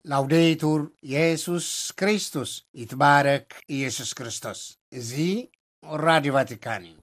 ላውዴቱር የሱስ ክርስቶስ፣ ይትባረክ ኢየሱስ ክርስቶስ። እዚ ራዲዮ ቫቲካን እዩ።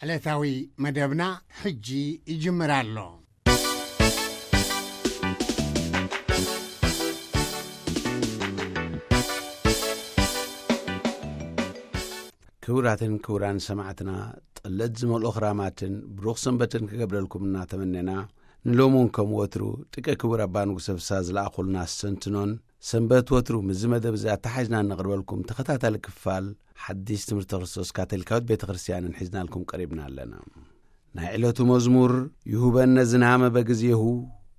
ዕለታዊ መደብና ሕጂ ይጅምር ኣሎ። ክቡራትን ክቡራን ሰማዕትና፣ ጥለት ዝመልኦ ክራማትን ብሩኽ ሰንበትን ክገብረልኩም እናተመነና፣ ንሎሚ እውን ከም ወትሩ ጥቀ ክቡር ኣባ ንጉሰ ፍስሃ ዝለኣኹልና ኣስተንትኖን ሰንበት ወትሩ ምስዚ መደብ እዚ ኣተሓሒዝና እነቕርበልኩም ተኸታታሊ ክፋል ሓዲስ ትምህርቲ ክርስቶስ ካቶሊካዊት ቤተ ክርስቲያንን ሒዝናልኩም ቀሪብና ኣለና። ናይ ዕለቱ መዝሙር፣ ይሁበነ ዝናመ በግዜሁ፣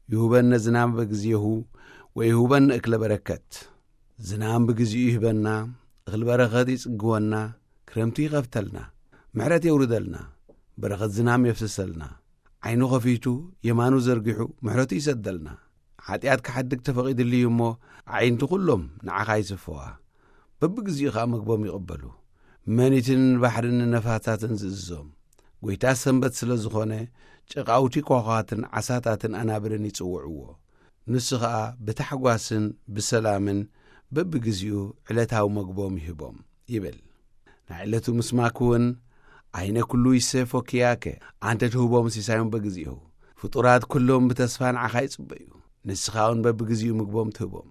ይሁበነ ዝናመ በግዜሁ፣ ወይሁበነ እክለ በረከት። ዝናም ብግዜኡ ይህበና፣ እኽል በረኸት ይጽግወና፣ ክረምቲ ይኸፍተልና፣ ምሕረት የውርደልና፣ በረኸት ዝናም የፍስሰልና። ዓይኑ ኸፊቱ፣ የማኑ ዘርጊሑ፣ ምሕረቱ ይሰደልና። ሓጢኣት ክሓድግ ተፈቒድሉ እዩ እሞ፣ ኣዒንቲ ኹሎም ንዓኻ ይስፈዋ። በብግዜኡ ኸኣ መግቦም ይቕበሉ። መኒትን ባሕርን ነፋሳትን ዝእዝዞም ጐይታ ሰንበት ስለ ዝኾነ፣ ጨቓውቲ ኳዃትን ዓሳታትን ኣናብርን ይጽውዕዎ። ንሱ ኸኣ ብታሕጓስን ብሰላምን በብግዜኡ ዕለታዊ መግቦም ይህቦም ይብል። ናይ ዕለቱ ምስማክ እውን፣ ዓይነ ኩሉ ይሴፎ ኪያከ፣ ኣንተ ትህቦም ሲሳዮም በግዜኡ። ፍጡራት ኩሎም ብተስፋ ንዓኻ ይጽበዩ። ንስኻ እውን በብግዜኡ ምግቦም ትህቦም።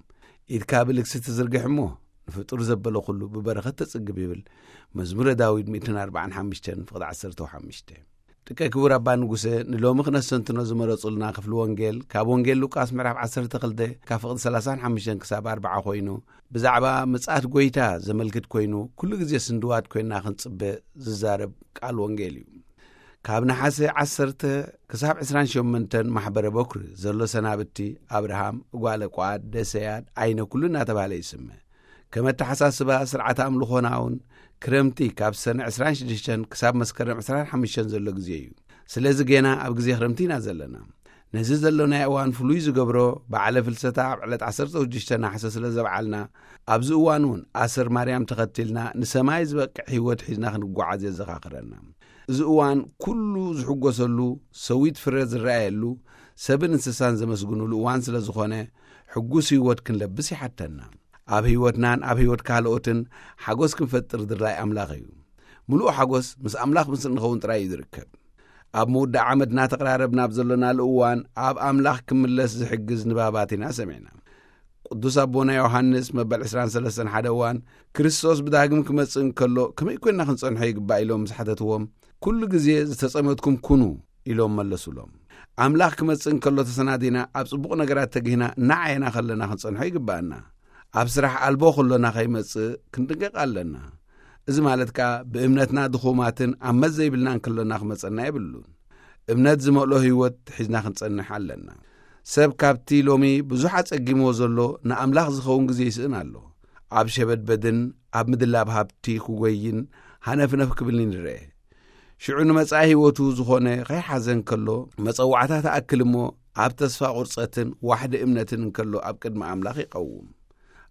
ኢድካ ብልግሲ ትዝርግሕ እሞ፣ ንፍጡር ዘበለ ኩሉ ብበረኸት ተጽግብ ይብል መዝሙረ ዳዊት ሚእትን ኣርባዓን ሓሙሽተን ፍቕዲ ዓሰርተ ሓሙሽተ። ጥቀ ክቡር ኣባ ንጉሰ፣ ንሎሚ ክነስተንትኖ ዝመረጹልና ክፍሊ ወንጌል፣ ካብ ወንጌል ሉቃስ ምዕራፍ ዓሰርተ ክልተ ካብ ፍቕዲ ሰላሳን ሓሙሽተን ክሳብ ኣርብዓ ኮይኑ፣ ብዛዕባ ምጽኣት ጐይታ ዘመልክት ኮይኑ፣ ኩሉ ግዜ ስንድዋት ኮይና ክንጽበ ዝዛረብ ቃል ወንጌል እዩ። ካብ ነሓሰ ዓሰርተ ክሳብ ዕስራን ሸሞንተን ማሕበረ በኩሪ ዘሎ ሰናብቲ፣ ኣብርሃም፣ ጓለ ቋድ፣ ደሰያድ፣ ዓይነ ኩሉ እናተባህለ ይስመ። ከም ኣተሓሳስባ ስርዓተ ኣምልኾና እውን ክረምቲ ካብ ሰነ ዕስራን ሽዱሽተን ክሳብ መስከረም ዕስራን ሓሙሽተን ዘሎ ግዜ እዩ። ስለዚ ጌና ኣብ ግዜ ክረምቲ ኢና ዘለና። ነዚ ዘሎናዮ እዋን ፍሉይ ዝገብሮ በዓለ ፍልሰታ ኣብ ዕለት ዓሰርተ ሽዱሽተ ነሓሰ ስለ ዘብዓልና፣ ኣብዚ እዋን እውን ኣሰር ማርያም ተኸቲልና ንሰማይ ዝበቅዕ ህይወት ሒዝና ክንጓዓዝ የዘኻኽረና። እዚ እዋን ኩሉ ዝሕጎሰሉ፣ ሰዊት ፍረ ዝረኣየሉ፣ ሰብን እንስሳን ዘመስግኑሉ እዋን ስለ ዝኾነ፣ ሕጉስ ህይወት ክንለብስ ይሓተና። ኣብ ህይወትናን ኣብ ህይወት ካልኦትን ሓጎስ ክንፈጥር ድላይ ኣምላኽ እዩ። ምሉእ ሓጎስ ምስ ኣምላኽ ምስ እንኸውን ጥራይ እዩ ዝርከብ። ኣብ ምውዳእ ዓመት እናተቐራረብና ኣብ ዘሎናሉ እዋን፣ ኣብ ኣምላኽ ክምለስ ዝሕግዝ ንባባት ኢና ሰሚዕና። ቅዱስ ኣቦና ዮሃንስ መበል ዕስራን ሰለስተን ሓደ እዋን፣ ክርስቶስ ብዳግም ክመጽእ እንከሎ ከመይ ኮይንና ክንጸንሖ ይግባእ ኢሎም ምስ ሓተትዎም፣ ኩሉ ግዜ ዝተጸመድኩም ኩኑ ኢሎም መለሱሎም። ኣምላኽ ክመጽእ እንከሎ ተሰናዲና ኣብ ጽቡቕ ነገራት ተጊህና እናዓየና ከለና ክንጸንሖ ይግባኣና። ኣብ ስራሕ ኣልቦ ከሎና ከይመጽእ ክንጥንቀቕ ኣለና። እዚ ማለት ከኣ ብእምነትና ድኹማትን ኣብ መት ዘይብልናን ከሎና ክመጸና የብሉን። እምነት ዝመልኦ ህይወት ሒዝና ክንጸንሕ ኣለና። ሰብ ካብቲ ሎሚ ብዙሕ ኣጸጊምዎ ዘሎ ንኣምላኽ ዝኸውን ግዜ ይስእን ኣሎ። ኣብ ሸበድበድን ኣብ ምድላብ ሃብቲ ክጎይን ሃነፍነፍ ክብልን ይረአ። ሽዑ ንመጻኢ ህይወቱ ዝኾነ ከይሓዘ እንከሎ፣ መጸዋዕታ ትኣክል እሞ ኣብ ተስፋ ቁርጸትን ዋሕዲ እምነትን እንከሎ ኣብ ቅድሚ ኣምላኽ ይቐውም።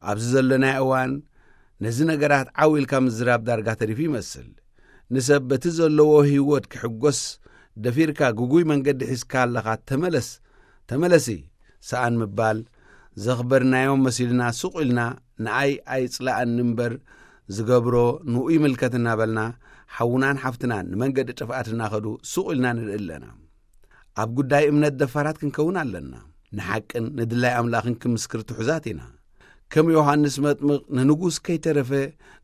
ኣብዚ ዘሎናዮ እዋን ነዚ ነገራት ዓው ኢልካ ምዝራብ ዳርጋ ተሪፉ ይመስል። ንሰብ በቲ ዘለዎ ህይወት ክሕጎስ ደፊርካ ግጉይ መንገዲ ሒዝካ ኣለኻ፣ ተመለስ፣ ተመለሲ፣ ሰኣን ምባል፣ ዘኽበርናዮም መሲልና ሱቕ ኢልና ንኣይ ኣይጽላኣኒ እምበር ዝገብሮ ንኡ ይምልከት እናበልና ሓውናን ሓፍትናን ንመንገዲ ጥፍኣት እናኸዱ ሱቕ ኢልና ንርኢ ኣለና። ኣብ ጉዳይ እምነት ደፋራት ክንከውን ኣለና። ንሓቅን ንድላይ ኣምላኽን ክምስክር ትሑዛት ኢና። ከም ዮሃንስ መጥምቕ ንንጉስ ከይተረፈ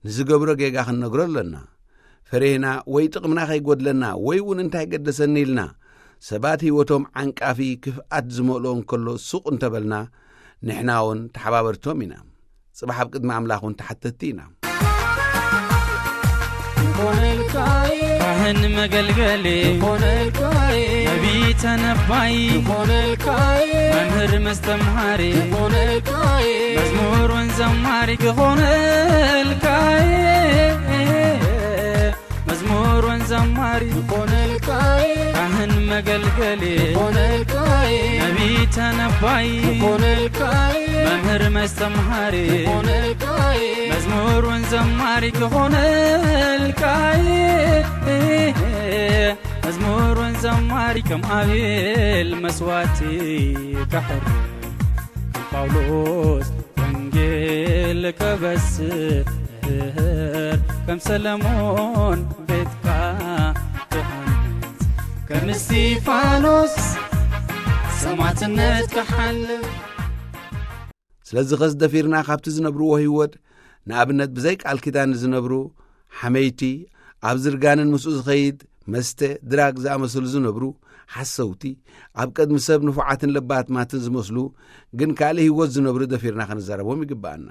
ንዝገብሮ ጌጋ ክንነግሮ ኣለና። ፈሪህና ወይ ጥቕምና ከይጎድለና ወይ እውን እንታይ ገደሰኒ ኢልና ሰባት ህይወቶም ዓንቃፊ ክፍኣት ዝመልኦ እንከሎ ሱቕ እንተበልና ንሕና እውን ተሓባበርቶም ኢና። ጽባሕ ኣብ ቅድሚ ኣምላኽ እውን ተሓተትቲ ኢና። ካህን መገልገሊ ክኾነልካይ፣ ነቢይ ተነባይ ክኾነልካይ፣ መምህር መስተምሃሪ ክኾነልካይ፣ መዝሙር ወንዘማሪ ክኾነልካይ፣ መዝሙር ወንዘማሪ ክኾነልካይ፣ ካህን መገልገሊ ክኾነልካይ፣ ነቢይ ተነባይ ክኾነልካይ፣ መምህር መስተምሃሪ ክኾነልካይ፣ መዝሙር ወንዘማሪ ክኾነልካይ፣ መዝሙር ወንዘማሪ ከም ኣቤል መስዋዕቲ ከሕርር፣ ከም ጳውሎስ ወንጌል ከበስር፣ ከም ሰለሞን ቤትካ ክሃንጽ፣ ከም እስጢፋኖስ ሰማዕትነት ክሓልፍ። ስለዚ ኸስ ደፊርና ካብቲ ዝነብርዎ ህይወት፣ ንኣብነት ብዘይ ቃል ኪዳን ዝነብሩ ሓመይቲ፣ ኣብ ዝርጋንን ምስኡ ዝኸይድ መስተ፣ ድራግ ዝኣመሰሉ ዝነብሩ ሓሰውቲ፣ ኣብ ቅድሚ ሰብ ንፉዓትን ለባማትን ዝመስሉ ግን ካልእ ህይወት ዝነብሩ ደፊርና ክንዛረቦም ይግብኣና።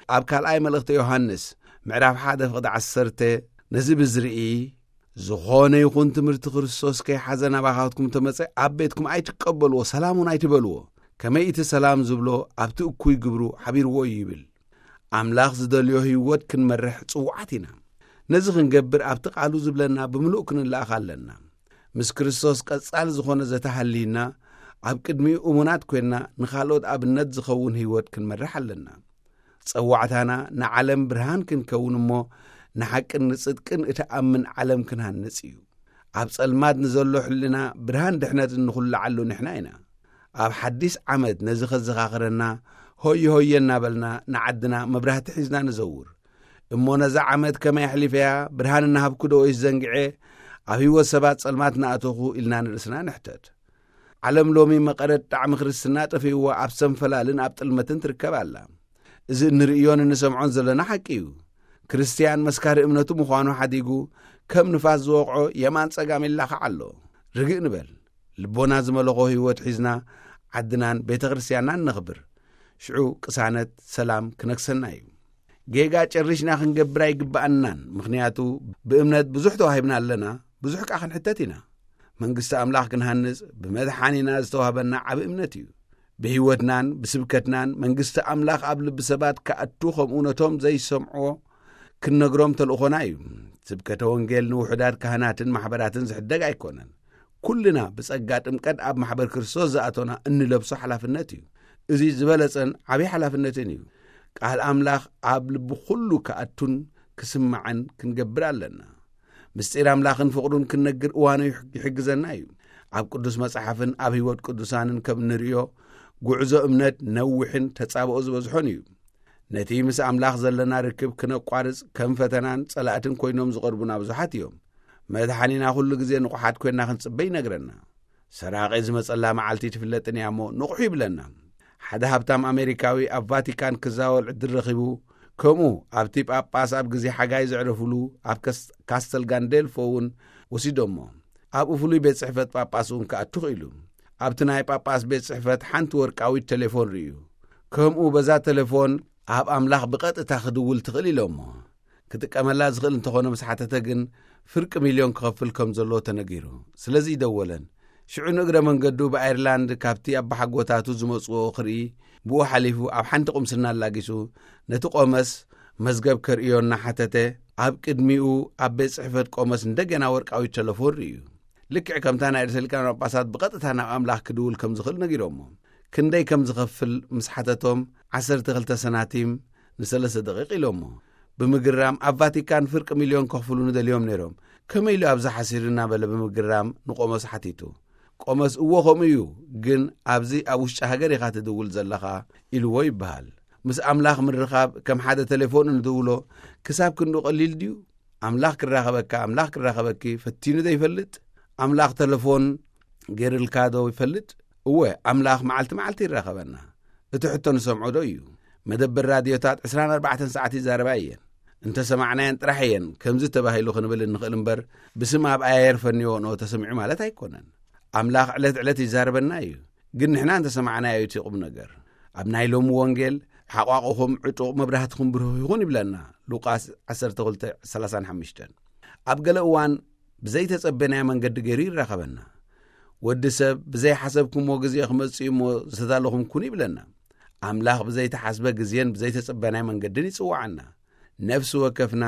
ኣብ ካልኣይ መልእኽቲ ዮሃንስ ምዕራፍ ሓደ ፍቕዲ ዓሰርተ ነዚ ብዝርኢ፣ ዝኾነ ይኹን ትምህርቲ ክርስቶስ ከይሓዘ ናባኻትኩም ተመጸ ኣብ ቤትኩም ኣይትቀበልዎ፣ ሰላም እውን ኣይትበልዎ። ከመይ እቲ ሰላም ዝብሎ ኣብቲ እኩይ ግብሩ ሓቢርዎ እዩ ይብል። ኣምላኽ ዝደልዮ ህይወት ክንመርሕ ጽዉዓት ኢና። ነዚ ክንገብር ኣብቲ ቃሉ ዝብለና ብምሉእ ክንለኣኽ ኣለና። ምስ ክርስቶስ ቀጻሊ ዝኾነ ዘተሃልይና፣ ኣብ ቅድሚኡ እሙናት ኮይንና ንኻልኦት ኣብነት ዝኸውን ህይወት ክንመርሕ ኣለና። ጸዋዕታና ንዓለም ብርሃን ክንከውን እሞ፣ ንሓቅን ንጽድቅን እትኣምን ዓለም ክንሃንጽ እዩ። ኣብ ጸልማት ንዘሎ ሕልና ብርሃን ድሕነት እንኹልዓሉ ንሕና ኢና። ኣብ ሓዲስ ዓመት ነዚ ከዘኻኽረና፣ ሆየ ሆየ እናበልና ንዓድና መብራህቲ ሒዝና ንዘውር። እሞ ነዛ ዓመት ከመይ ኣሕሊፈያ? ብርሃን እናሃብኩ ዶ ወይስ ዘንግዔ? ኣብ ህይወት ሰባት ጸልማት እናኣተኹ ኢልና ንርእስና ንሕተት። ዓለም ሎሚ መቐረት ጣዕሚ ክርስትና ጠፊእዋ ኣብ ሰንፈላልን ኣብ ጥልመትን ትርከብ ኣላ። እዚ እንርእዮን እንሰምዖን ዘለና ሓቂ እዩ። ክርስትያን መስካሪ እምነቱ ምዃኑ ሓዲጉ፣ ከም ንፋስ ዝወቕዖ የማን ጸጋም ይላኻዕ ኣሎ። ርግእ ንበል። ልቦና ዝመለኾ ህይወት ሒዝና ዓድናን ቤተ ክርስትያንናን ነኽብር። ሽዑ ቅሳነት፣ ሰላም ክነግሰና እዩ። ጌጋ ጨሪሽና ክንገብር ኣይግብኣናን፣ ምኽንያቱ ብእምነት ብዙሕ ተዋሂብና ኣለና፣ ብዙሕ ከኣ ክንሕተት ኢና። መንግስቲ ኣምላኽ ክንሃንጽ ብመድሓኒና ዝተዋህበና ዓቢ እምነት እዩ። ብህይወትናን ብስብከትናን መንግስቲ ኣምላኽ ኣብ ልቢ ሰባት ክኣቱ፣ ከምኡ ነቶም ዘይሰምዕዎ ክንነግሮም ተልእኾና እዩ። ስብከተ ወንጌል ንውሑዳት ካህናትን ማሕበራትን ዝሕደግ ኣይኮነን። ኩልና ብጸጋ ጥምቀት ኣብ ማሕበር ክርስቶስ ዝኣቶና እንለብሶ ሓላፍነት እዩ። እዚ ዝበለጸን ዓቢ ሓላፍነትን እዩ። ቃል ኣምላኽ ኣብ ልቢ ኩሉ ክኣቱን ክስማዕን ክንገብር ኣለና። ምስጢር ኣምላኽን ፍቕሩን ክንነግር እዋኑ ይሕ-፣ ይሕግዘና እዩ። ኣብ ቅዱስ መጽሓፍን ኣብ ህይወት ቅዱሳንን ከም እንርእዮ፣ ጉዕዞ እምነት ነዊሕን ተጻብኦ ዝበዝሖን እዩ። ነቲ ምስ ኣምላኽ ዘለና ርክብ ክነቋርጽ ከም ፈተናን ጸላእትን ኮይኖም ዝቐርቡና ብዙሓት እዮም። መድሓኒና ኩሉ ግዜ ንቑሓት ኮይንና ክንጽበ ይነግረና። ሰራቒ ዝመጸላ መዓልቲ ትፍለጥን እያ እሞ ንቑሑ ይብለና። ሓደ ሃብታም ኣሜሪካዊ ኣብ ቫቲካን ክዛወር ዕድል ረኺቡ፣ ከምኡ ኣብቲ ጳጳስ ኣብ ግዜ ሓጋይ ዘዕረፉሉ ኣብ ከስ-፣ ካስተል ጋንዴልፎ እውን ወሲዶሞ። ኣብኡ ፍሉይ ቤት ጽሕፈት ጳጳስ እውን ክኣቱ ክኢሉ። ኣብቲ ናይ ጳጳስ ቤት ጽሕፈት ሓንቲ ወርቃዊት ቴሌፎን ርእዩ። ከምኡ በዛ ቴሌፎን ኣብ ኣምላኽ ብቐጥታ ክድውል ትኽእል ኢሎሞ። ክጥቀመላ ዝኽእል እንተኾነ ምስ ሓተተ ግን ፍርቂ ሚልዮን ክኸፍል ከም ዘለዎ ተነጊሩ። ስለዚ ይደወለን። ሽዑ ንእግረ መንገዱ ብኣየርላንድ ካብቲ ኣባሓጎታቱ ዝመጽዎ ክርኢ ብኡ ሓሊፉ ኣብ ሓንቲ ቁምስና ኣላጊሱ ነቲ ቆመስ መዝገብ ከርእዮ እናሓተተ ኣብ ቅድሚኡ ኣብ ቤት ጽሕፈት ቆመስ እንደገና ወርቃዊት ቴሌፎን ርእዩ። ልክዕ ከምታ ናይ ርእሰ ሊቃነ ጳጳሳት ብቐጥታ ናብ ኣምላኽ ክድውል ከም ዝኽእል ነጊሮሞ። ክንደይ ከም ዝኸፍል ምስ ሓተቶም ዓሰርተ ክልተ ሰናቲም ንሰለስተ ደቂቕ ኢሎሞ። ብምግራም ኣብ ቫቲካን ፍርቂ ሚልዮን ከኽፍሉ ንደልዮም ነይሮም። ከመይ ኢሉ ኣብዚ ሓሲሩ እናበለ ብምግራም ንቆመስ ሓቲቱ። ቆመስ እዎ ከምኡ እዩ፣ ግን ኣብዚ ኣብ ውሽጢ ሃገር ኢኻ ትድውል ዘለኻ ኢልዎ ይበሃል። ምስ ኣምላኽ ምርኻብ ከም ሓደ ቴሌፎን እንድውሎ ክሳብ ክንዱ ቀሊል ድዩ? ኣምላኽ ክራኸበካ፣ ኣምላኽ ክራኸበኪ ፈቲኑ ዶ ይፈልጥ? ኣምላኽ ቴሌፎን ገይርልካ ዶ ይፈልጥ? እወ፣ ኣምላኽ መዓልቲ መዓልቲ ይራኸበና። እቲ ሕቶ ንሰምዖ ዶ እዩ? መደበር ራድዮታት ዕስራን ኣርባዕተን ሰዓት ይዛረባ እየን። እንተሰማዕናየን ጥራሕ እየን ከምዚ ተባሂሉ ክንብል እንኽእል እምበር፣ ብስም ኣብ ኣየር ፈንዎ ንኦ ተሰሚዑ ማለት ኣይኮነን። ኣምላኽ ዕለት ዕለት ይዛረበና እዩ። ግን ንሕና እንተሰማዕናዮ እቲ ቁም ነገር። ኣብ ናይ ሎሚ ወንጌል፣ "ሓቋቑኹም ዕጡቕ መብራህትኹም ብሩህ ይኹን" ይብለና። ሉቃስ ዓሰርተ ክልተ ሰላሳን ሓሙሽተን። ኣብ ገለ እዋን ብዘይተጸበናዮ መንገዲ ገይሩ ይራኸበና። ወዲ ሰብ ብዘይሓሰብኩሞ ግዜ ክመጽእ እሞ ዝተዳለኹም ኩኑ ይብለና። ኣምላኽ ብዘይተሓስበ ግዜን ብዘይተጸበናይ መንገድን ይጽውዓና። ነፍሲ ወከፍና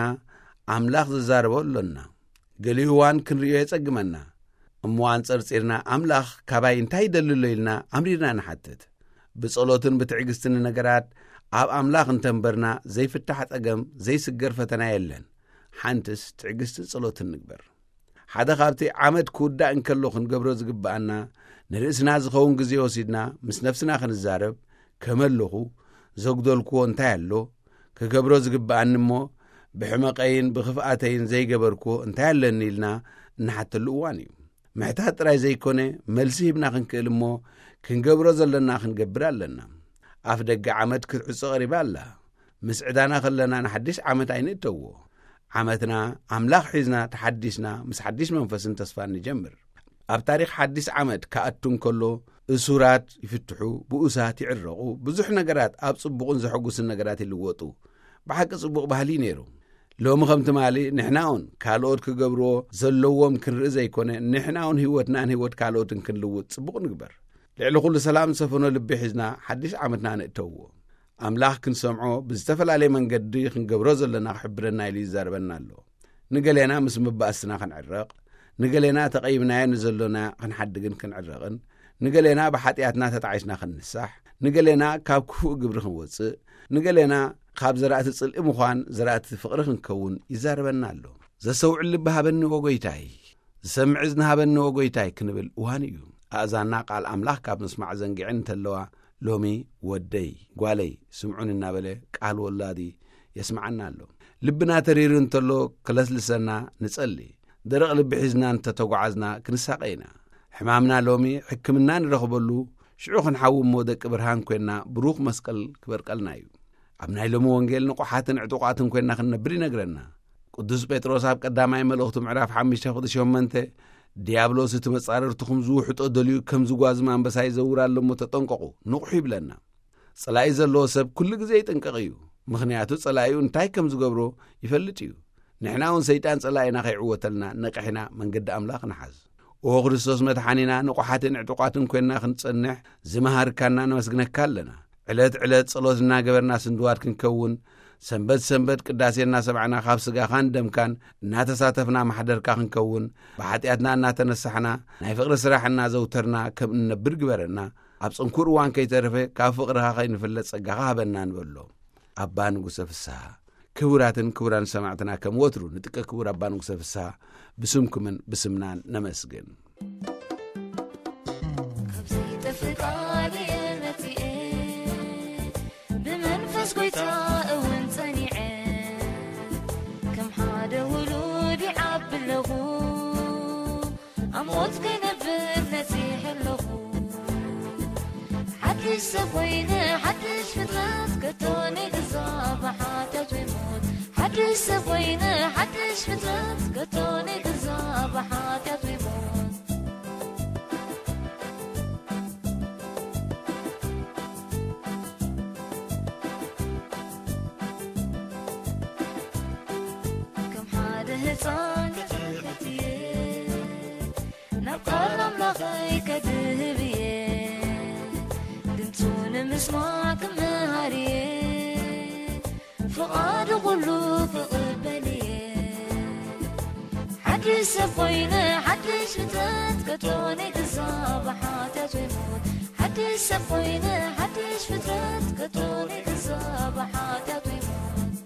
ኣምላኽ ዝዛረቦ ኣሎና። ገሊኡ እዋን ክንርእዮ የጸግመና። እሞ ኣንጸርጺርና ኣምላኽ ካባይ እንታይ ይደሊ ኣሎ ኢልና ኣምሪርና ንሓትት። ብጸሎትን ብትዕግስትን ነገራት ኣብ ኣምላኽ እንተንበርና ዘይፍታሕ ጸገም፣ ዘይስገር ፈተና የለን። ሓንትስ ትዕግስትን ጸሎትን ንግበር። ሓደ ካብቲ ዓመት ክውዳእ እንከሎ ክንገብሮ ዝግብኣና፣ ንርእስና ዝኸውን ግዜ ወሲድና ምስ ነፍስና ክንዛረብ፣ ከመለኹ፣ ዘጉደልክዎ እንታይ ኣሎ፣ ክገብሮ ዝግብኣኒ እሞ ብሕመቐይን ብኽፍኣተይን ዘይገበርክዎ እንታይ ኣለኒ ኢልና እንሓተሉ እዋን እዩ። ምሕታት ጥራይ ዘይኮነ፣ መልሲ ሂብና ክንክእል እሞ ክንገብሮ ዘለና ክንገብር ኣለና። ኣፍ ደገ ዓመት ክትዕጾ ቀሪባ ኣላ። ምስ ዕዳና ከለና ንሓድሽ ዓመት ኣይንእተዎ። ዓመትና ኣምላኽ ሒዝና ተሓዲስና ምስ ሓድሽ መንፈስን ተስፋን ንጀምር። ኣብ ታሪኽ ሓድሽ ዓመት ክኣቱ እንከሎ፣ እሱራት ይፍትሑ፣ ብኡሳት ይዕረቑ፣ ብዙሕ ነገራት ኣብ ጽቡቕን ዘሐጉስን ነገራት ይልወጡ። ብሓቂ ጽቡቕ ባህሊ እዩ ነይሩ። ሎሚ ከም ትማሊ ንሕናውን ካልኦት ክገብርዎ ዘለዎም ክንርኢ ዘይኮነ፣ ንሕናውን ህይወትናን ህይወት ካልኦትን ክንልውጥ ጽቡቕ ንግበር። ልዕሊ ኩሉ ሰላም ዝሰፈኖ ልቢ ሒዝና ሓድሽ ዓመትና ንእተዎ። ኣምላኽ ክንሰምዖ ብዝተፈላለየ መንገዲ ክንገብሮ ዘለና ክሕብረና ኢሉ ይዛረበና ኣሎ። ንገሌና ምስ መባእስትና ክንዕረቕ፣ ንገሌና ተቐይምናዮ ንዘሎና ክንሓድግን ክንዕረቕን፣ ንገሌና ብሓጢኣትና ተጣዒስና ክንንሳሕ፣ ንገሌና ካብ ክፉእ ግብሪ ክንወጽእ፣ ንገሌና ካብ ዘራእቲ ጽልኢ ምዃን ዘራእቲ ፍቕሪ ክንከውን ይዛረበና ኣሎ። ዘሰውዕል ልቢ ሃበኒ ወጎይታይ፣ ዝሰምዕ እዝኒ ሃበኒ ወጎይታይ ክንብል እዋን እዩ። ኣእዛንና ቃል ኣምላኽ ካብ ምስማዕ ዘንጊዐን እንተለዋ፣ ሎሚ ወደይ፣ ጓለይ፣ ስምዑን እናበለ ቃል ወላዲ የስምዓና ኣሎ። ልብና ተሪሩ እንተሎ ክለስልሰና ንጸሊ። ደረቕ ልቢ ሒዝና እንተተጓዓዝና ክንሳቐ ኢና። ሕማምና ሎሚ ሕክምና ንረኽበሉ፣ ሽዑ ክንሓዊ እሞ ደቂ ብርሃን ኮይንና ብሩኽ መስቀል ክበርቀልና እዩ። ኣብ ናይ ሎሚ ወንጌል ንቑሓትን ዕጡቓትን ኮይንና ክንነብር ይነግረና። ቅዱስ ጴጥሮስ ኣብ ቀዳማይ መልእኽቱ ምዕራፍ ሓሙሽተ ቁጽሪ ሸሞንተ፣ "ዲያብሎስ እቲ መጻርርትኹም ዝውሕጦ ደልዩ ከም ዝጓዝም ኣንበሳ ይዘውር ኣሎ እሞ ተጠንቀቑ፣ ንቕሑ" ይብለና። ጸላኢ ዘለዎ ሰብ ኩሉ ግዜ ይጥንቀቕ እዩ። ምኽንያቱ ጸላኢኡ እንታይ ከም ዝገብሮ ይፈልጥ እዩ። ንሕና እውን ሰይጣን ጸላኢና ከይዕወተልና ነቒሕና መንገዲ ኣምላኽ ንሓዝ። ኦ ክርስቶስ መድሓኒና፣ ንቑሓትን ዕጡቓትን ኮይንና ክንጸንሕ ዝመሃርካና ነመስግነካ ኣለና። ዕለት ዕለት ጸሎት እናገበርና ስንድዋት ክንከውን፣ ሰንበት ሰንበት ቅዳሴ እናሰማዕና ካብ ስጋኻን ደምካን እናተሳተፍና ማሕደርካ ክንከውን፣ ብሓጢኣትና እናተነሳሕና ናይ ፍቕሪ ስራሕ እናዘውተርና ከም እንነብር ግበረና። ኣብ ጽንኩር እዋን ከይተረፈ ካብ ፍቕርኻ ከይንፍለጥ ጸጋኻ ሃበና ንበሎ። ኣባ ንጉሰ ፍስሃ። ክቡራትን ክቡራን ሰማዕትና፣ ከም ወትሩ ንጥቀ ክቡር ኣባ ንጉሰ ፍስሃ ብስምኩምን ብስምናን ነመስግን። ካብ ዘይጠፍእ ቃል እየ መጺኤ፣ ብመንፈስ ጐይታ እውን ጸኒዐ፣ ከም ሓደ ውሉድ ይዓቢ ኣለኹ፣ ኣብ ሞት ከይነብር ነጺሐ ኣለኹ። ሓድሽ ሰብ ኮይነ፣ ሓድሽ ፍጥረት፣ ከቶ ነይገዛ ብሓጢኣት ወይ ሞት። ሓድሽ ሰብ ኮይነ፣ ሓድሽ ፍጥረት፣ ከቶ ነይገዛ ብሓጢኣት ወይ ሞት። ከም ሓደ ህፃን ክሕትየ፣ ናብ ቃል ኣምላኸይ ከድህብ እየ። ድምፁ ንምስማዕ ክምሃር እየ። ፍቓዱ ኩሉ ክቕበል እየ። ሓድሽ ሰብ ኮይነ፣ ሓድሽ ፍጥረት፣ ከቶ ነይገዛ ብሓጢኣት ወይ ሞት። ሓድሽ ሰብ ኮይነ፣ ሓድሽ ፍጥረት፣ ከቶ ነይገዛ ብሓጢኣት ወይ ሞት።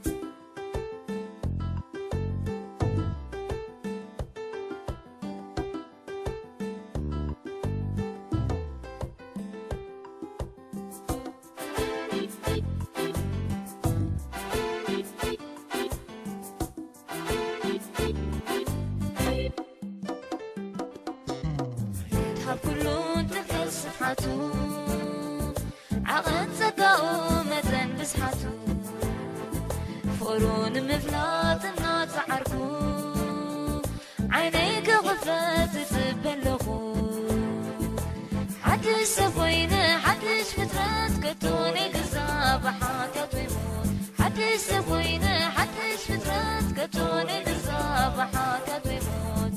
ይድሃብ ኩሉ እንተፈል ስፍሓቱ፣ ዓቐን ጸጋኡ መጠን ብዝሓቱ፣ ፍቕሩ ንምፍላጥ እናጸዓርኩ፣ ዓይነይ ክኽፈት እጽበ ኣለኹ። ሓድሽ ሰብ ኮይነ፣ ሓድሽ ፍጥረት፣ ከቶ ነይገዛ ብሓጢኣት ወይ ሞት። ሓድሽ ሰብ ኮይነ፣ ሓድሽ ፍጥረት፣ ከቶ ነይገዛ ብሓጢኣት ወይ ሞት።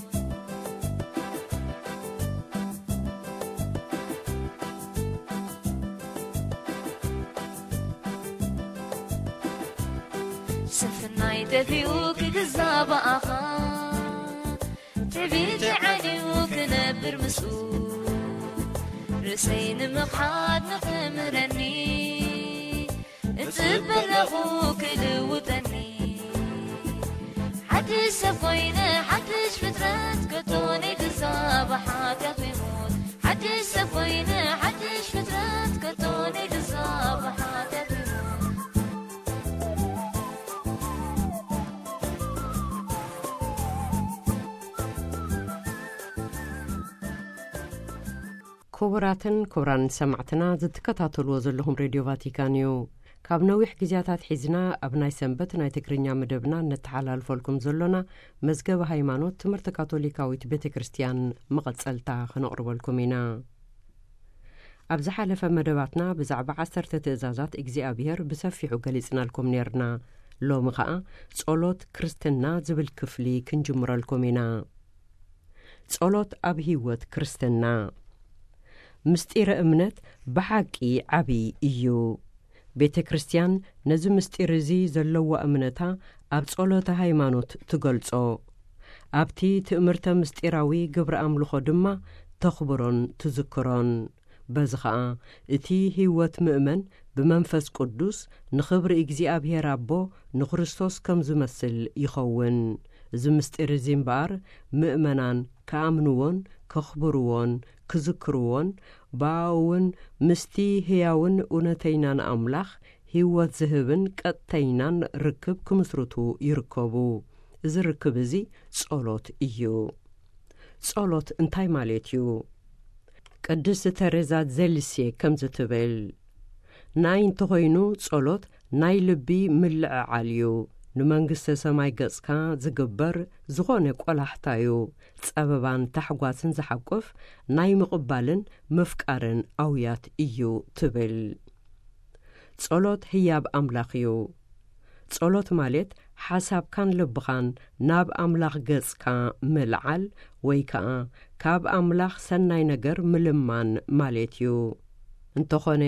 ስፍናይ ደፊኡ ክግዛእ ብኣኻ፣ ትዕቢተይ ዓንዩ ክነብር ምስኡ፣ ርእሰይ ንምኽሓድ ንኽምህረኒ፣ እጽበ ኣለኹ ክልውጠኒ። ሓድሽ ሰብ ኮይነ፣ ሓድሽ ፍጥረት፣ ከቶ ነይትዛብ ሓጢኣት ወይ ሞት። ሓድሽ ሰብ ኮይነ፣ ሓድሽ ፍጥረት፣ ከቶ ነይትዛብ ሓጢኣት ወይ ሞት። ክቡራትን ክቡራን ሰማዕትና፣ ዝትከታተልዎ ዘለኹም ሬድዮ ቫቲካን እዩ። ካብ ነዊሕ ግዜያታት ሒዝና ኣብ ናይ ሰንበት ናይ ትግርኛ መደብና እነተሓላልፈልኩም ዘሎና መዝገበ ሃይማኖት ትምህርቲ ካቶሊካዊት ቤተ ክርስቲያን መቐጸልታ ክነቕርበልኩም ኢና። ኣብ ዝሓለፈ መደባትና ብዛዕባ ዓሰርተ ትእዛዛት እግዚኣብሔር ብሰፊሑ ገሊጽናልኩም ኔርና። ሎሚ ኸኣ ጸሎት ክርስትና ዝብል ክፍሊ ክንጅምረልኩም ኢና። ጸሎት ኣብ ህይወት ክርስትና። ምስጢረ እምነት ብሓቂ ዓቢ እዩ። ቤተ ክርስቲያን ነዚ ምስጢር እዚ ዘለዋ እምነታ ኣብ ጸሎተ ሃይማኖት ትገልጾ። ኣብቲ ትእምርተ ምስጢራዊ ግብረ ኣምልኾ ድማ ተኽብሮን ትዝክሮን። በዚ ኸኣ እቲ ህይወት ምእመን ብመንፈስ ቅዱስ ንኽብሪ እግዚኣብሔር ኣቦ ንክርስቶስ ከም ዝመስል ይኸውን። እዚ ምስጢር እዚ እምበኣር ምእመናን ክኣምንዎን ከኽብርዎን ክዝክርዎን ብኣኡ እውን ምስቲ ህያውን እውነተይናን ኣምላኽ ህይወት ዝህብን ቀጥተይናን ርክብ ክምስርቱ ይርከቡ። እዚ ርክብ እዚ ጸሎት እዩ። ጸሎት እንታይ ማለት እዩ? ቅድስቲ ተሬዛ ዘሊሴ ከምዚ ትብል፣ ናይ እንተኾይኑ ጸሎት ናይ ልቢ ምልዕዓል እዩ። ንመንግስተ ሰማይ ገጽካ ዝግበር ዝኾነ ቆላሕታ እዩ። ጸበባን ታሕጓስን ዝሓቁፍ ናይ ምቕባልን ምፍቃርን ኣውያት እዩ ትብል። ጸሎት ህያብ ኣምላኽ እዩ። ጸሎት ማለት ሓሳብካን ልብኻን ናብ ኣምላኽ ገጽካ ምልዓል ወይ ከኣ ካብ ኣምላኽ ሰናይ ነገር ምልማን ማለት እዩ። እንተኾነ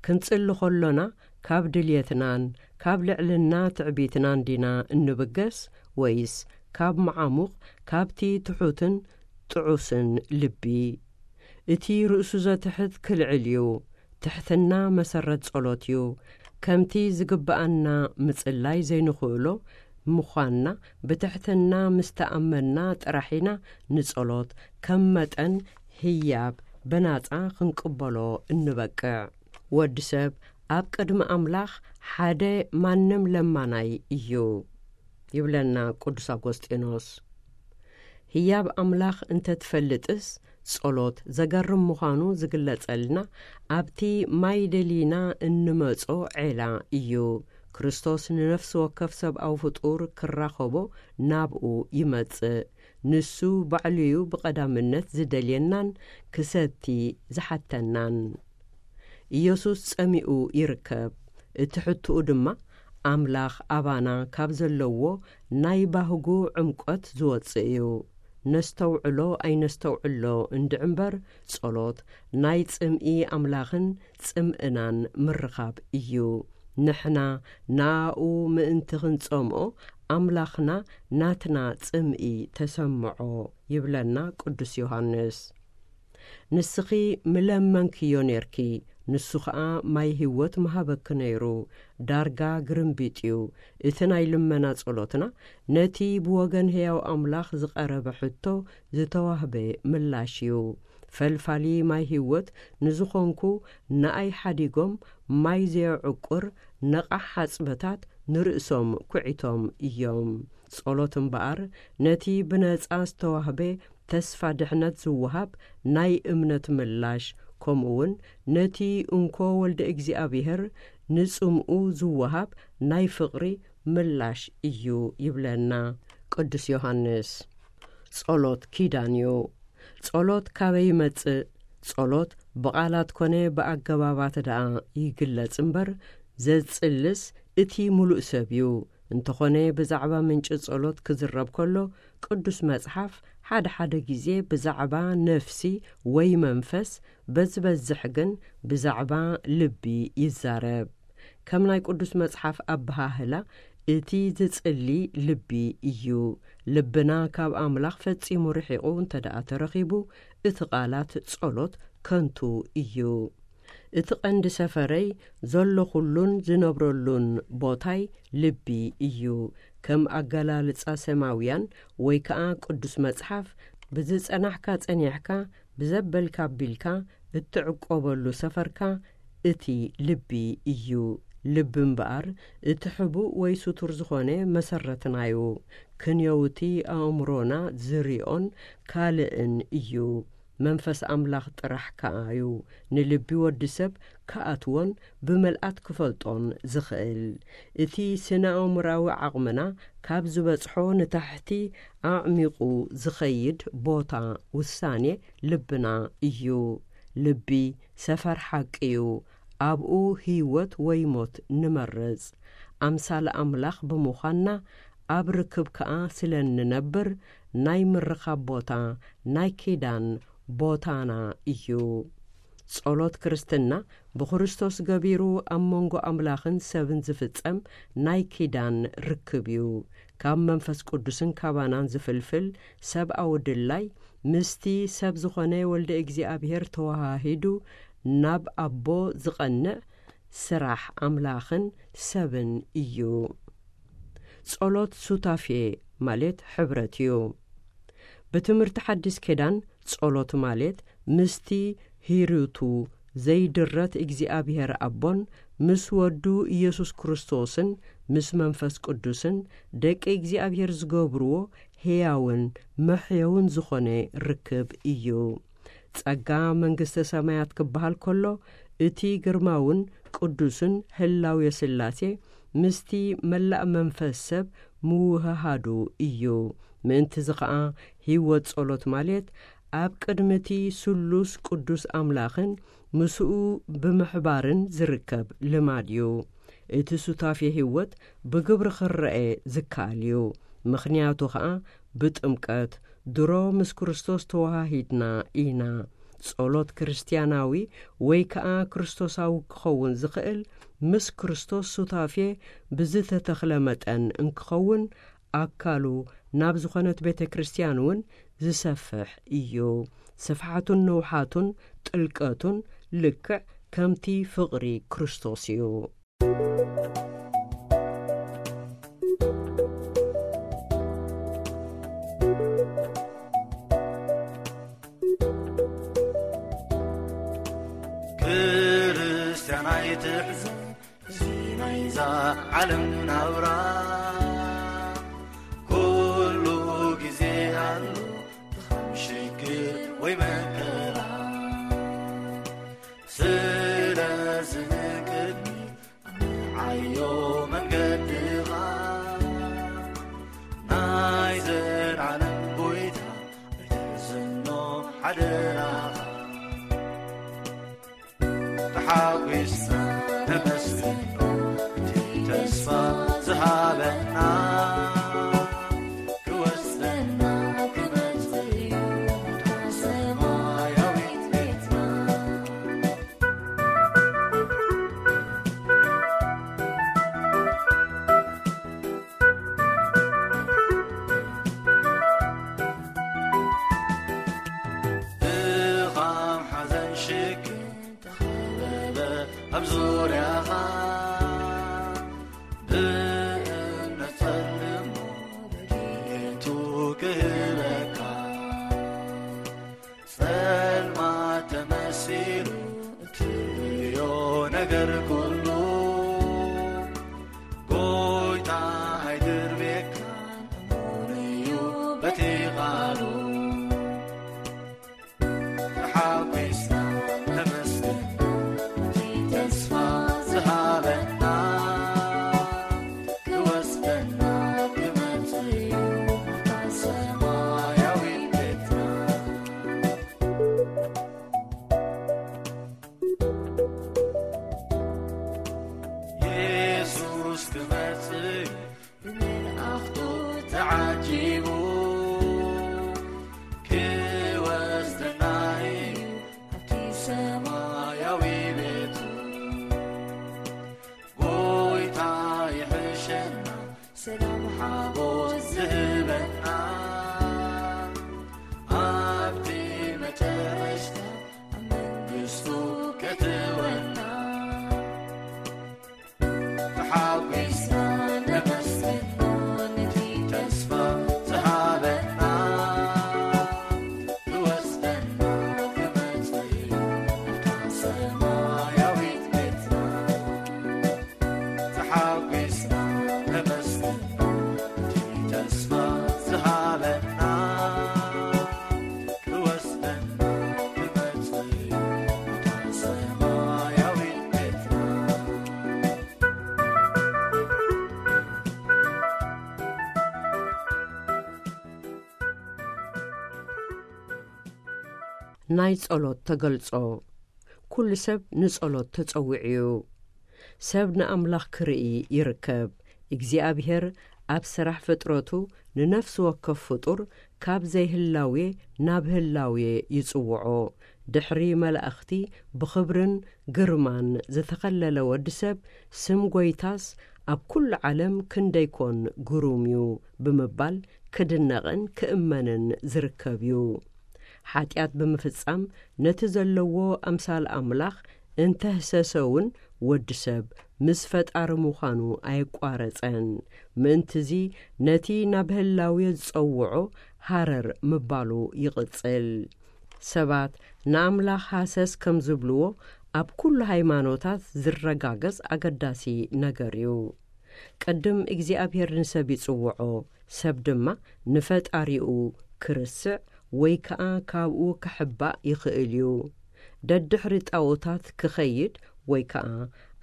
ክንጽሊ ከሎና ካብ ድልየትናን ካብ ልዕልና ትዕቢትናን ዲና እንብገስ ወይስ ካብ መዓሙቕ ካብቲ ትሑትን ጥዑስን ልቢ? እቲ ርእሱ ዘትሕት ክልዕል እዩ። ትሕትና መሰረት ጸሎት እዩ። ከምቲ ዝግብኣና ምጽላይ ዘይንኽእሎ ምዃንና ብትሕትና ምስ ተኣመንና ጥራሕ ኢና ንጸሎት ከም መጠን ህያብ ብናጻ ክንቅበሎ እንበቅዕ። ወዲ ሰብ ኣብ ቅድሚ ኣምላኽ ሓደ ማንም ለማናይ እዩ ይብለና ቅዱስ ኣጎስጢኖስ። ህያብ ኣምላኽ እንተትፈልጥስ ጸሎት ዘገርም ምዃኑ ዝግለጸልና ኣብቲ ማይ ደሊና እንመጾ ዔላ እዩ። ክርስቶስ ንነፍሲ ወከፍ ሰብኣዊ ፍጡር ክራኸቦ ናብኡ ይመጽእ። ንሱ ባዕሉ'ዩ ብቐዳምነት ዝደልየናን ክሰቲ ዝሓተናን። ኢየሱስ ጸሚኡ ይርከብ። እቲ ሕቶኡ ድማ ኣምላኽ ኣባና ካብ ዘለዎ ናይ ባህጉ ዕምቆት ዝወጽእ እዩ። ነስተውዕሎ ኣይነስተውዕሎ እንድዒ እምበር፣ ጸሎት ናይ ጽምኢ ኣምላኽን ጽምእናን ምርኻብ እዩ። ንሕና ንኣኡ ምእንቲ ክንጸምኦ፣ ኣምላኽና ናትና ጽምኢ ተሰምዖ ይብለና ቅዱስ ዮሃንስ። ንስኺ ምለመንክዮ ኔርኪ፣ ንሱ ኸኣ ማይ ህይወት ምሃበኪ ነይሩ። ዳርጋ ግርምቢጥ እዩ። እቲ ናይ ልመና ጸሎትና ነቲ ብወገን ህያው ኣምላኽ ዝቐረበ ሕቶ ዝተዋህበ ምላሽ እዩ። ፈልፋሊ ማይ ህይወት ንዝኾንኩ ንኣይ ሓዲጎም ማይ ዘየዕቁር ነቓሕ ሓጽበታት ንርእሶም ኩዒቶም እዮም። ጸሎት እምበኣር ነቲ ብነጻ ዝተዋህበ ተስፋ ድሕነት ዝወሃብ ናይ እምነት ምላሽ፣ ከምኡውን ነቲ እንኮ ወልደ እግዚኣብሔር ንጽምኡ ዝወሃብ ናይ ፍቕሪ ምላሽ እዩ ይብለና ቅዱስ ዮሃንስ። ጸሎት ኪዳን እዩ። ጸሎት ካበይ ይመጽእ? ጸሎት ብቓላት ኮነ ብኣገባባት ደኣ ይግለጽ እምበር፣ ዘጽልስ እቲ ምሉእ ሰብ እዩ። እንተኾነ ብዛዕባ ምንጪ ጸሎት ክዝረብ ከሎ፣ ቅዱስ መጽሓፍ ሓደ ሓደ ግዜ ብዛዕባ ነፍሲ ወይ መንፈስ፣ በዝበዝሕ ግን ብዛዕባ ልቢ ይዛረብ። ከም ናይ ቅዱስ መጽሓፍ ኣበሃህላ፣ እቲ ዝጽሊ ልቢ እዩ። ልብና ካብ ኣምላኽ ፈጺሙ ርሒቑ እንተ ደኣ ተረኺቡ፣ እቲ ቃላት ጸሎት ከንቱ እዩ። እቲ ቀንዲ ሰፈረይ ዘለኹሉን ዝነብረሉን ቦታይ ልቢ እዩ። ከም ኣገላልጻ ሰማውያን ወይ ከኣ ቅዱስ መጽሓፍ፣ ብዝጸናሕካ ጸኒሕካ፣ ብዘበልካ ኣቢልካ እትዕቆበሉ ሰፈርካ እቲ ልቢ እዩ። ልቢ እምበኣር እቲ ሕቡእ ወይ ስቱር ዝኾነ መሰረትናዩ። ክንየውቲ ኣእምሮና ዝሪኦን ካልእን እዩ። መንፈስ ኣምላኽ ጥራሕ ከኣዩ ንልቢ ወዲ ሰብ ክኣትዎን ብመልኣት ክፈልጦን ዝኽእል። እቲ ስነ ኣእምራዊ ዓቕምና ካብ ዝበጽሖ ንታሕቲ ኣዕሚቑ ዝኸይድ ቦታ ውሳኔ ልብና እዩ። ልቢ ሰፈር ሓቂ እዩ። ኣብኡ ህይወት ወይ ሞት ንመርጽ። ኣምሳል ኣምላኽ ብምዃንና ኣብ ርክብ ከኣ ስለ እንነብር ናይ ምርኻብ ቦታ ናይ ኪዳን ቦታና እዩ። ጸሎት ክርስትና ብክርስቶስ ገቢሩ ኣብ መንጎ ኣምላኽን ሰብን ዝፍጸም ናይ ኪዳን ርክብ እዩ። ካብ መንፈስ ቅዱስን ካባናን ዝፍልፍል ሰብኣዊ ድላይ ምስቲ ሰብ ዝኾነ ወልደ እግዚኣብሔር ተወሃሂዱ ናብ ኣቦ ዝቐንዕ ስራሕ ኣምላኽን ሰብን እዩ። ጸሎት ሱታፌ ማለት ሕብረት እዩ። ብትምህርቲ ሓዲስ ኪዳን ጸሎት ማለት ምስቲ ሂሩቱ ዘይድረት እግዚኣብሔር ኣቦን ምስ ወዱ ኢየሱስ ክርስቶስን ምስ መንፈስ ቅዱስን ደቂ እግዚኣብሔር ዝገብርዎ ሕያውን መሕየውን ዝኾነ ርክብ እዩ። ጸጋ መንግስተ ሰማያት ክበሃል ከሎ፣ እቲ ግርማውን ቅዱስን ህላዌ ስላሴ ምስቲ መላእ መንፈስ ሰብ ምውህሃዱ እዩ። ምእንትዚ ኸኣ ህይወት ጸሎት ማለት ኣብ ቅድሚ እቲ ስሉስ ቅዱስ ኣምላኽን ምስኡ ብምሕባርን ዝርከብ ልማድ እዩ። እቲ ሱታፌ ህይወት ብግብሪ ክረአ ዝከኣል እዩ። ምኽንያቱ ኸኣ ብጥምቀት ድሮ ምስ ክርስቶስ ተወሃሂድና ኢና። ጸሎት ክርስትያናዊ ወይ ከኣ ክርስቶሳዊ ክኸውን ዝኽእል ምስ ክርስቶስ ሱታፌ ብዝተተኽለ መጠን እንክኸውን ኣካሉ ናብ ዝኾነት ቤተ ክርስትያን እውን ዝሰፍሕ እዩ። ስፍሓቱን ንውሓቱን ጥልቀቱን ልክዕ ከምቲ ፍቕሪ ክርስቶስ እዩ። ክርስትያን ኣይትሕዘን፣ እዚ ናይዛ ዓለም ናብራ ኩሉ ግዜ ኣሎ፣ ድኻም ሽግር ወይ መከራ። ስለዚ ንቅድሚት ዓዮ መንገድኻ፣ ናይ ዘልዓለም ጎይታ ኣይትሕዘኖ ሓደራኻ። ተሓጒስና ነመስግኖ፣ እቲ ተስፋ ዝሃበና፣ ክወስደና ክመጽእ እዩ፣ እታ ሰማያዊት ቤትና። ድኻም ሓዘን ሽግር ተኸበበ ኣብ ዙርያኻ፣ ብእምነት ጸልሞ ረድኤቱ ክህበካ። ጸልማት ተመሲሉ እትርእዮ ነገር ኩሉ፣ ጎይታ ኣይድርቤካን፣ እሙን እዩ በቲ ቃሉ። ተሓጒስና ነመስግን፣ እቲ ተስፋ ዝሃበና፣ ክወስደና ክመጽእ እዩ፣ እታ ሰማያዊት ቤትና። የሱስ ክመጽእ እዩ፣ ብመልኣ ሰላም ሓጎስ ዝህበና ኣብቲ መጨረሽታ ኣብ መንግስቱ ከእትወና ተሓጒስና ነመስግኖ ነቲ ተስፋ ዝሃበና ክወስደና ክመጽእ እዩ ናብታ ሰማያዊት ቤትና ተሓጒስና ነመስግኖ ነቲ ተስፋ ዝሃበና ክወስደና ክመጽእ እዩ ናብታ ሰማያዊት ቤትና። ናይ ጸሎት ተገልጾ። ኩሉ ሰብ ንጸሎት ተጸዊዑ እዩ። ሰብ ንኣምላኽ ክርኢ ይርከብ። እግዚኣብሔር ኣብ ስራሕ ፍጥረቱ ንነፍሲ ወከፍ ፍጡር ካብ ዘይህላዌ ናብ ህላዌ ይጽውዖ። ድሕሪ መላእኽቲ ብኽብርን ግርማን ዝተኸለለ ወዲ ሰብ፣ ስም ጐይታስ ኣብ ኩሉ ዓለም ክንደይ ኮን ግሩም እዩ ብምባል ክድነቕን ክእመንን ዝርከብ እዩ። ሓጢኣት ብምፍጻም ነቲ ዘለዎ ኣምሳል ኣምላኽ እንተህሰሰ እውን ወዲ ሰብ ምስ ፈጣሪ ምዃኑ ኣየቋረጸን። ምእንትዚ ነቲ ናብ ህላዌ ዝጸውዖ ሃረር ምባሉ ይቕጽል። ሰባት ንኣምላኽ ሃሰስ ከም ዝብልዎ ኣብ ኩሉ ሃይማኖታት ዝረጋገጽ ኣገዳሲ ነገር እዩ። ቅድም እግዚኣብሔር ንሰብ ይጽውዖ፣ ሰብ ድማ ንፈጣሪኡ ክርስዕ ወይ ከኣ ካብኡ ክሕባእ ይኽእል እዩ። ደድሕሪ ጣኦታት ክኸይድ ወይ ከኣ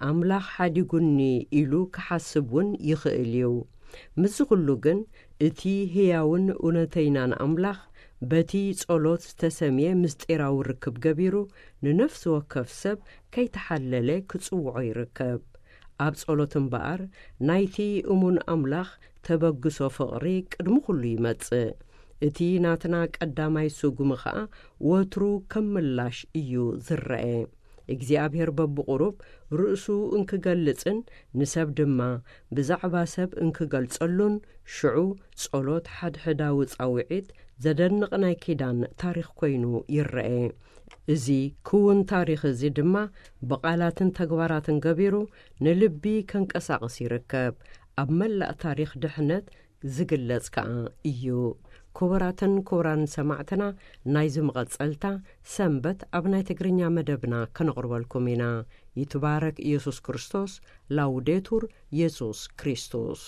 ኣምላኽ ሓዲጉኒ ኢሉ ክሓስብ እውን ይኽእል እዩ። ምስዚ ኩሉ ግን እቲ ህያውን እውነተይናን ኣምላኽ በቲ ጸሎት ዝተሰምየ ምስጢራዊ ርክብ ገቢሩ ንነፍሲ ወከፍ ሰብ ከይተሓለለ ክጽውዖ ይርከብ። ኣብ ጸሎት እምበኣር ናይቲ እሙን ኣምላኽ ተበግሶ ፍቕሪ ቅድሚ ኩሉ ይመጽእ። እቲ ናትና ቀዳማይ ስጉሚ ኸኣ ወትሩ ከም ምላሽ እዩ ዝረአ። እግዚኣብሔር በብቑሩብ ርእሱ እንክገልጽን ንሰብ ድማ ብዛዕባ ሰብ እንክገልጸሉን ሽዑ ጸሎት ሓድሕዳዊ ጻውዒት ዘደንቕ ናይ ኪዳን ታሪኽ ኮይኑ ይረአ። እዚ ክውን ታሪኽ እዚ ድማ ብቓላትን ተግባራትን ገቢሩ ንልቢ ከንቀሳቕስ ይርከብ። ኣብ መላእ ታሪኽ ድሕነት ዝግለጽ ከኣ እዩ። ክቡራትን ክቡራን ሰማዕትና፣ ናይዚ መቐጸልታ ሰንበት ኣብ ናይ ትግርኛ መደብና ከነቕርበልኩም ኢና። ይትባረክ ኢየሱስ ክርስቶስ። ላውዴቱር ኢየሱስ ክርስቶስ።